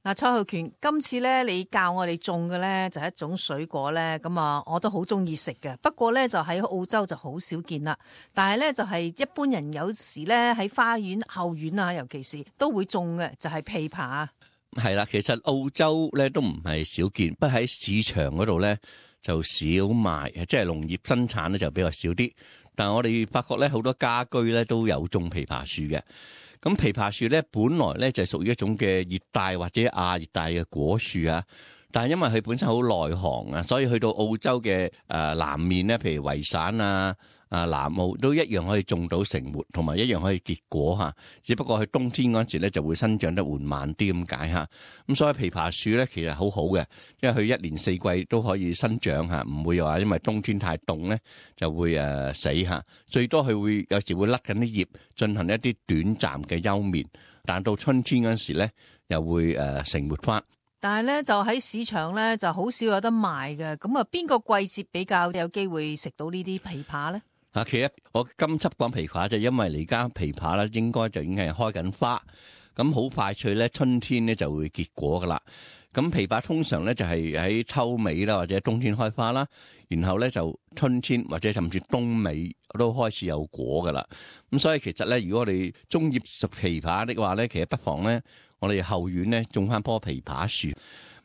嗱，蔡浩權，今次咧你教我哋種嘅咧就係一種水果咧，咁啊我都好中意食嘅。不過咧就喺澳洲就好少見啦。但係咧就係一般人有時咧喺花園後院啊，尤其是都會種嘅，就係枇杷。係啦，其實澳洲咧都唔係少見，不過喺市場嗰度咧就少賣，即係農業生產咧就比較少啲。但係我哋發覺咧好多家居咧都有種枇杷樹嘅。咁枇杷樹咧，本來咧就係屬於一種嘅熱帶或者亞熱帶嘅果樹啊。但係因為佢本身好耐寒啊，所以去到澳洲嘅南面咧，譬如維省啊、南澳都一樣可以種到成活，同埋一樣可以結果嚇。只不過喺冬天嗰陣時咧就會生長得緩慢啲咁解嚇。咁所以枇杷樹咧其實好好嘅，因為佢一年四季都可以生長嚇，唔會話因為冬天太凍咧就會死嚇。最多佢會有時會甩緊啲葉，進行一啲短暫嘅休眠，但到春天嗰陣時咧又會成活翻。但係咧就喺市場咧就好少有得賣嘅。咁啊，邊個季節比較有機會食到呢啲枇杷咧？其實我今輯講枇杷就因為而家枇杷咧應該就已經係開緊花，咁好快脆咧春天咧就會結果噶啦。咁枇杷通常咧就係喺秋尾啦，或者冬天開花啦，然後咧就春天或者甚至冬尾都開始有果噶啦。咁所以其實咧，如果我哋中意食枇杷的話咧，其實不妨咧我哋後院咧種翻棵枇杷樹。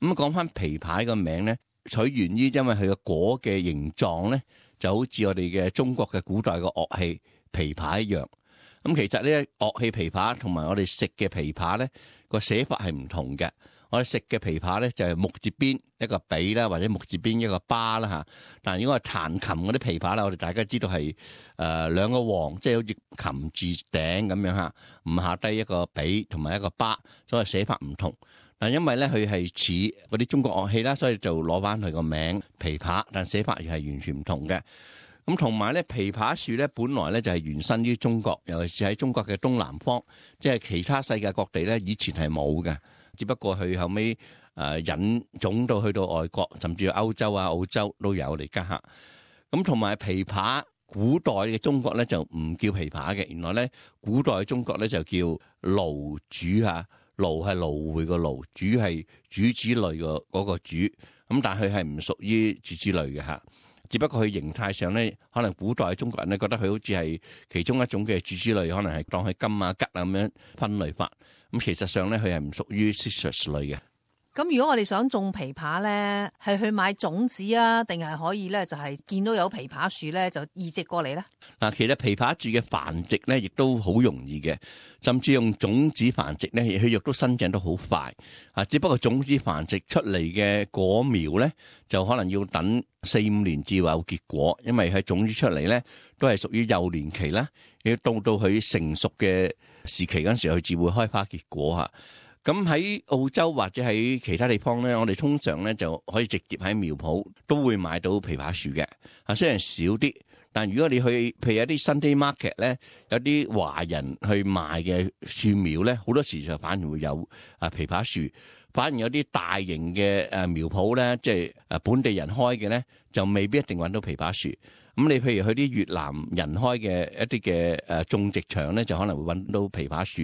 咁講翻枇杷個名咧，取源於因為佢個果嘅形狀咧，就好似我哋嘅中國嘅古代嘅樂器枇杷一樣。咁其實呢樂器枇杷同埋我哋食嘅枇杷咧個寫法係唔同嘅。我哋食嘅枇杷咧就係木字邊一個比啦，或者木字邊一個巴啦嚇。但係如果係彈琴嗰啲枇杷啦，我哋大家知道係兩個王，即係好似琴字頂咁樣嚇，唔下低一個比同埋一個巴，所以寫法唔同。但因為咧佢係似嗰啲中國樂器啦，所以就攞翻佢個名枇杷，但寫法又係完全唔同嘅。咁同埋咧枇杷樹咧，本來咧就係原生於中國，尤其是喺中國嘅東南方，即係其他世界各地咧以前係冇嘅。只不過佢後尾引種到去到外國，甚至歐洲啊、澳洲都有嚟家下。咁同埋枇杷，古代嘅中國咧就唔叫枇杷嘅，原來咧古代中國咧就叫蘆菽嚇，蘆係蘆薈個蘆，菽係主子類個嗰個菽。咁但係佢係唔屬於主子類嘅嚇。只不過佢形態上咧，可能古代中國人咧覺得佢好似係其中一種嘅主子類，可能係當佢金啊、桔啊咁樣分類法。咁其實上咧，佢係唔屬於 citrus 類嘅。咁如果我哋想種枇杷咧，係去買種子啊，定係可以咧就係見到有枇杷樹咧就移植過嚟咧？嗱，其實枇杷樹嘅繁殖咧，亦都好容易嘅，甚至用種子繁殖咧，佢亦都生長得好快。只不過種子繁殖出嚟嘅果苗咧，就可能要等4-5年至有結果，因為佢種子出嚟咧都係屬於幼年期啦，要到佢成熟嘅時期嗰陣時，佢至會開花結果嚇。咁喺澳洲或者喺其他地方咧，我哋通常咧就可以直接喺苗圃都會買到枇杷樹嘅。雖然少啲，但如果你去譬如一啲 Sunday market 咧，有啲華人去賣嘅樹苗咧，好多時就反而會有枇杷樹。反而有啲大型嘅苗圃咧，即係本地人開嘅咧，就未必一定揾到枇杷樹。咁你譬如去啲越南人開嘅一啲嘅種植場咧，就可能會揾到枇杷樹，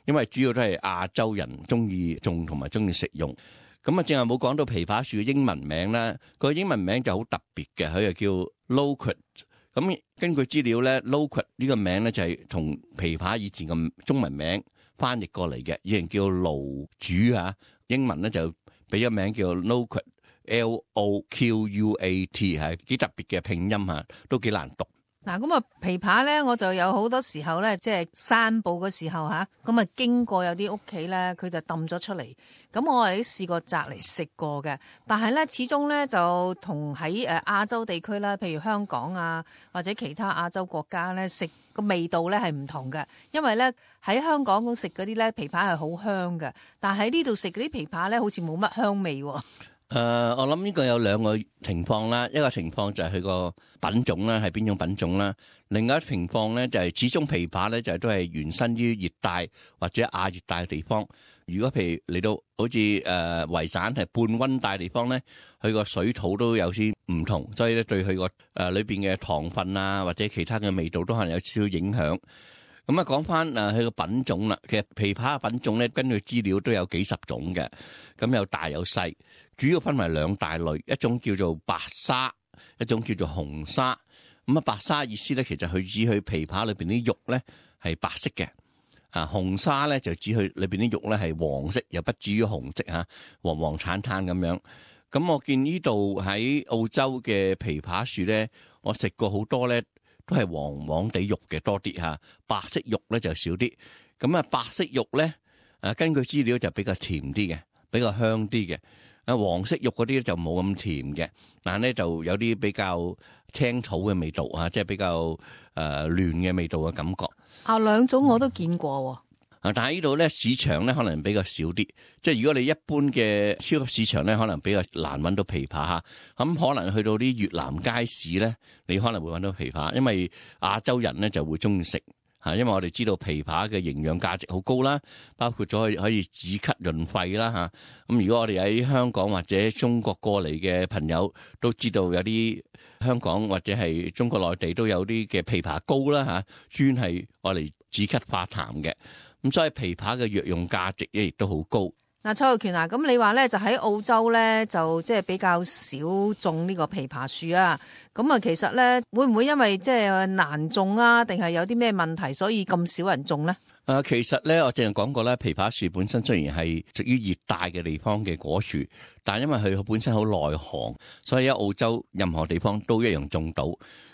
因為主要都係亞洲人中意種同埋中意食用。咁啊，正係冇講到枇杷樹嘅英文名啦，個英文名就好特別嘅，佢就叫 loquat。咁根據資料咧 ，loquat 呢個名咧就係同枇杷以前嘅中文名翻譯過嚟嘅，以前叫蘆菽啊，英文咧就俾咗名叫 loquat。Loquat 係幾特別嘅拼音嚇，都幾難讀。嗱，咁啊枇杷咧，我就有好多時候咧，即係散步嘅時候嚇，咁啊經過有啲屋企咧，佢就抌咗出嚟。咁我係試過摘嚟食過嘅，但係咧始終咧就同喺亞洲地區啦，譬如香港啊或者其他亞洲國家咧食個味道咧係唔同嘅。因為咧喺香港食嗰啲咧枇杷係好香嘅，但係喺呢度食嗰啲枇杷咧好似冇乜香味喎。我諗呢個有兩個情況啦，一個情況就係佢個品種啦，係邊種品種啦；另外一個情況咧就係始終枇杷咧就都係原生於熱帶或者亞熱帶嘅地方。如果譬如嚟到好似維省係半溫帶地方咧，佢個水土都有啲唔同，所以咧對佢個裏邊嘅糖分啊或者其他嘅味道都可能有少少影響。咁啊，講翻佢個品種啦。其實枇杷嘅品種咧，根據資料都有幾十種嘅，咁有大有細，主要分為兩大類，一種叫做白沙，一種叫做紅沙。咁啊，白沙意思咧，其實佢指佢枇杷裏邊啲肉咧係白色嘅，紅沙咧就指佢裏邊啲肉咧係黃色，又不至於紅色嚇，黃黃橙橙咁樣。咁我見呢度喺澳洲嘅枇杷樹咧，我食過好多咧，都係黃黃地肉嘅多啲嚇，白色肉咧就少啲。咁啊，白色肉咧，根據資料就比較甜啲嘅，比較香啲嘅。黃色肉嗰啲就冇咁甜嘅，但係咧就有啲比較青草嘅味道啊，即係比較嫩嘅味道嘅感覺。兩種我都見過喎。但係呢度咧市場咧可能比較少啲，即係如果你一般嘅超級市場咧，可能比較難揾到枇杷嚇。咁可能去到啲越南街市咧，你可能會揾到枇杷，因為亞洲人咧就會中意食。因為我哋知道枇杷嘅營養價值好高啦，包括咗可以止咳潤肺啦嚇。咁如果我哋喺香港或者中國過嚟嘅朋友都知道有啲香港或者係中國內地都有啲嘅枇杷膏啦嚇，專係我嚟止咳化痰嘅。咁所以枇杷嘅藥用價值亦都好高。蔡浩權啊，咁你話咧就喺澳洲咧就即係比較少種呢個枇杷樹啊，咁啊其實咧會唔會因為即係難種啊，定係有啲咩問題所以咁少人種咧？其實咧我之前講過咧，枇杷樹本身雖然係屬於熱帶嘅地方嘅果樹，但係因為佢本身好耐寒，所以喺澳洲任何地方都一樣種到。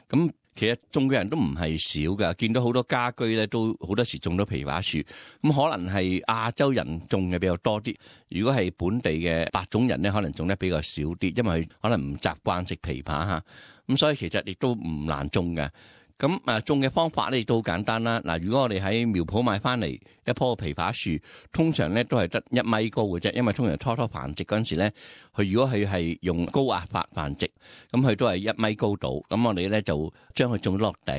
咁其實種嘅人都唔係少㗎，見到好多家居咧都好多時種到枇杷樹。咁可能係亞洲人種嘅比較多啲，如果係本地嘅白種人咧，可能種得比較少啲，因為佢可能唔習慣食枇杷嚇。咁所以其實亦都唔難種嘅。咁種嘅方法咧亦都好簡單啦。嗱，如果我哋喺苗圃買翻嚟一棵枇杷樹，通常咧都係得1米高嘅啫，因為通常初繁殖嗰陣時咧，佢如果佢係用高壓法繁殖，咁佢都係1米高度。咁我哋咧就將佢種落地，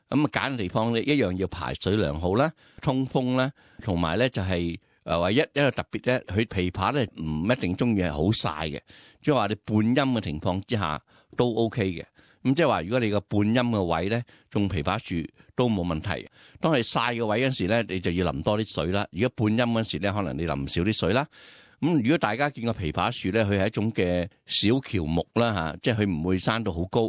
咁揀嘅地方咧一樣要排水良好啦、通風啦，同埋咧就係唯一個特別咧，佢枇杷咧唔一定中意係好曬嘅，即係話你半陰嘅情況之下都 OK 嘅。咁即係話，如果你個半陰嘅位咧，種枇杷樹都冇問題。當係曬嘅位嗰時咧，你就要淋多啲水啦。如果半陰嗰時咧，可能你淋少啲水啦。咁如果大家見過枇杷樹咧，佢係一種嘅小喬木啦嚇，即係佢唔會生到好高，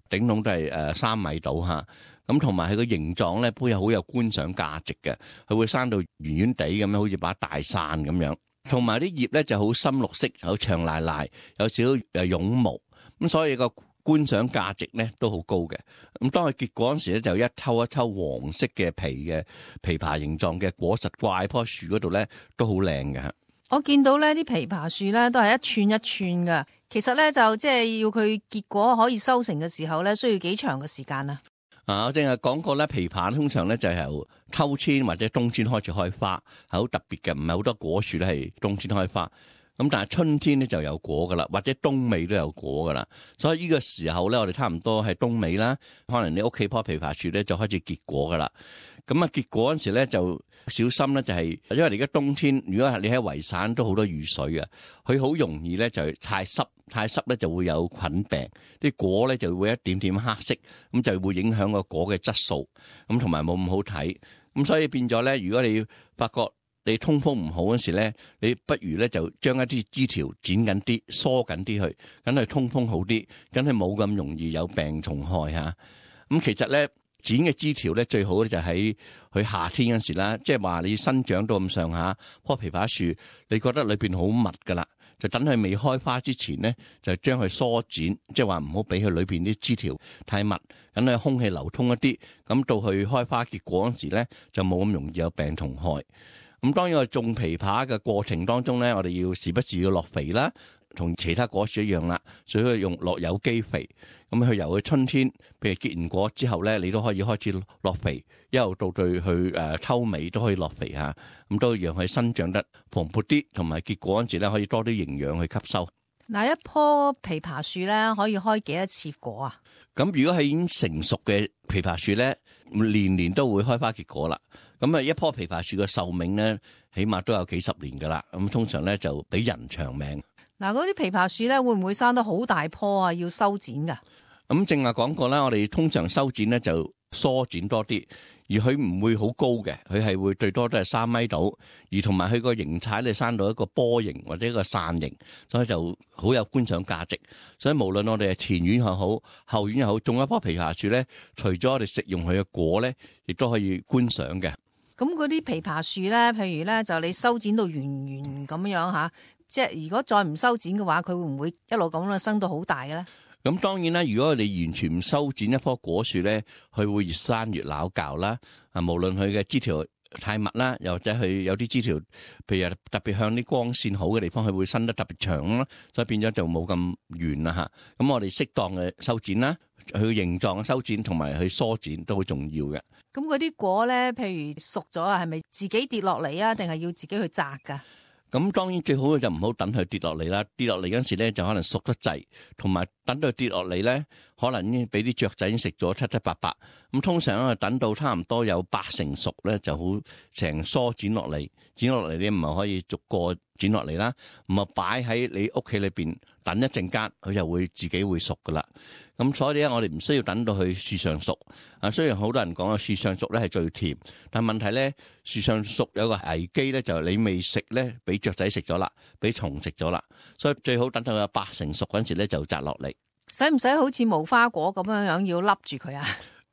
頂籠都係3米到嚇。咁同埋佢個形狀咧，都有好有觀賞價值嘅。佢會生到圓圓地咁樣，好似把大傘咁樣。同埋啲葉咧就好深綠色，好長賴賴，有少少絨毛。咁所以個觀賞價值咧都好高嘅。咁當佢結果嗰時咧，就一抽一抽黃色嘅皮嘅枇杷形狀嘅果實掛喺棵樹嗰度咧，都好靚嘅。我見到咧啲枇杷樹咧都係一寸一寸噶。其實咧就即係要佢結果可以收成嘅時候咧，需要幾長嘅時間啊？我正係講過咧，枇杷通常咧就係由秋天或者冬天開始開花，係好特別嘅，唔係好多果樹咧係冬天開花。咁但係春天咧就有果噶啦，或者冬尾都有果噶啦。所以呢個時候咧，我哋差唔多係冬尾啦，可能你屋企棵枇杷樹咧就開始結果噶啦。咁結果嗰時咧就小心咧，就係因為而家冬天，如果係你喺維省都好多雨水嘅，佢好容易咧就太濕咧就會有菌病，啲果咧就會一點點黑色，咁就會影響個果嘅質素，咁同埋冇咁好睇。咁所以變咗咧，如果你發覺你通風唔好嗰時咧，你不如咧就將一啲枝條剪緊啲、疏緊啲去，梗係通風好啲，梗係冇咁容易有病蟲害嚇。咁其實咧剪嘅枝條咧最好咧就喺佢夏天嗰時啦，即係話你生長到咁上下棵枇杷樹，你覺得裏邊好密噶啦，就等佢未開花之前咧，就將佢疏剪，即係話唔好俾佢裏邊啲枝條太密，等佢空氣流通一啲，咁到佢開花結果嗰時咧就冇咁容易有病蟲害。咁當然我種枇杷嘅過程當中咧，我哋要時不時要落肥啦，同其他果樹一樣啦，所以用落有機肥。咁佢由佢春天，譬如結完果之後咧，你都可以開始落肥，一路到對佢秋尾都可以落肥嚇，咁都讓佢生長得蓬勃啲，同埋結果嗰陣時咧可以多啲營養去吸收。嗱，一棵枇杷樹咧可以開幾多次果啊？咁如果係已經成熟嘅枇杷樹咧，年年都會開花結果啦。咁一棵枇杷樹嘅壽命咧，起碼都有幾十年噶啦。咁通常咧就比人長命。嗱，嗰啲枇杷樹咧會唔會生得好大棵啊？要修剪噶？咁正話講過啦，我哋通常修剪咧就疏剪多啲，而佢唔會好高嘅，佢係會最多都係3米度，而同埋佢個形態咧生到一個波形或者一個傘形，所以就好有觀賞價值。所以無論我哋係前院又好，後院又好，種一棵枇杷樹咧，除咗我哋食用佢嘅果咧，亦都可以觀賞嘅。咁嗰啲枇杷樹咧，譬如咧就你修剪到圓圓咁樣吓，即係如果再唔修剪嘅話，佢會唔會一路咁樣生到好大嘅咧？咁當然啦，如果你完全唔修剪一棵果樹咧，佢會越生越拗教啦。啊，無論佢嘅枝條太密啦，又或者佢有啲枝條，譬如特別向啲光線好嘅地方，佢會伸得特別長啦，所以變咗就冇咁圓啦嚇。咁我哋適當嘅修剪啦，佢形狀嘅修剪同埋佢疏剪都好重要嘅。咁嗰啲果咧，譬如熟咗啊，係咪自己跌落嚟啊，定係要自己去摘㗎？咁當然最好嘅就唔好等佢跌落嚟啦，跌落嚟嗰陣時咧就可能熟得滯，同埋等到佢跌落嚟咧，可能已經俾啲雀仔已經食咗七七八八。咁通常咧等到差唔多有80%熟咧，就好成梳剪落嚟，剪落嚟你唔係可以逐個剪落嚟啦，唔係擺喺你屋企裏邊等一陣間，佢就會自己會熟噶啦。咁所以咧，我哋唔需要等到佢樹上熟。啊，雖然好多人講啊，樹上熟咧係最甜，但係問題咧，樹上熟有個危機咧，就係你未食咧，俾雀仔食咗啦，俾蟲食咗啦。所以最好等到有80%熟嗰陣時咧，就摘落嚟。使唔使好似無花果咁樣樣要笠住佢啊？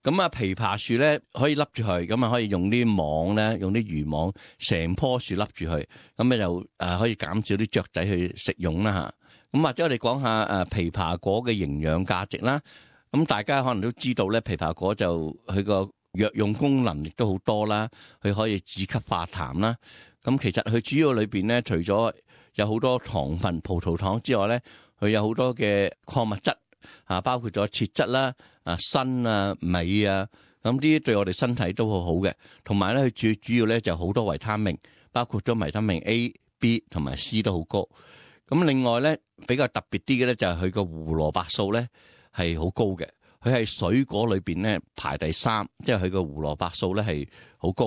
咁啊，枇杷樹咧可以笠住佢，咁啊可以用啲網咧，用啲漁網成棵樹笠住佢，咁咧就可以減少啲雀仔去食用啦嚇。咁或者我哋講下枇杷果嘅營養價值啦。咁大家可能都知道咧，枇杷果就佢個藥用功能亦都好多啦，佢可以止咳化痰啦。咁其實佢主要裏邊咧，除咗有好多糖分、葡萄糖之外咧，佢有好多嘅礦物質啊，包括咗鐵質啦、鋅啊、鎂啊，咁呢啲對我哋身體都好好嘅。同埋咧，佢最主要咧就好多維他命，包括咗維他命 A、B 同埋 C 都好高。咁另外咧，比較特別啲嘅咧就係佢個胡蘿蔔素咧係好高嘅，佢係水果裏邊咧排第3，即係佢個胡蘿蔔素咧係好高。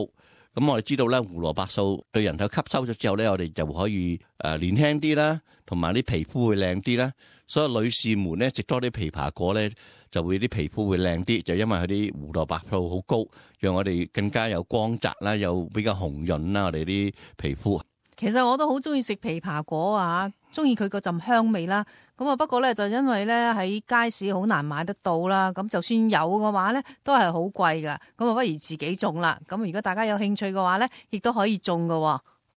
咁我哋知道咧，胡蘿蔔素對人體吸收咗之後咧，我哋就可以年輕啲啦，同埋啲皮膚會靚啲啦。所以女士們咧食多啲枇杷果咧，就會啲皮膚會靚啲，就因為佢啲胡蘿蔔素好高，讓我哋更加有光澤啦，又比較紅潤啦，我哋啲皮膚。其實我都好中意食枇杷果啊，中意佢嗰陣香味啦。咁啊，不過咧就因為咧喺街市好難買得到啦，咁就算有嘅話咧，都係好貴噶。咁啊，不如自己種啦。咁如果大家有興趣嘅話咧，亦都可以種噶。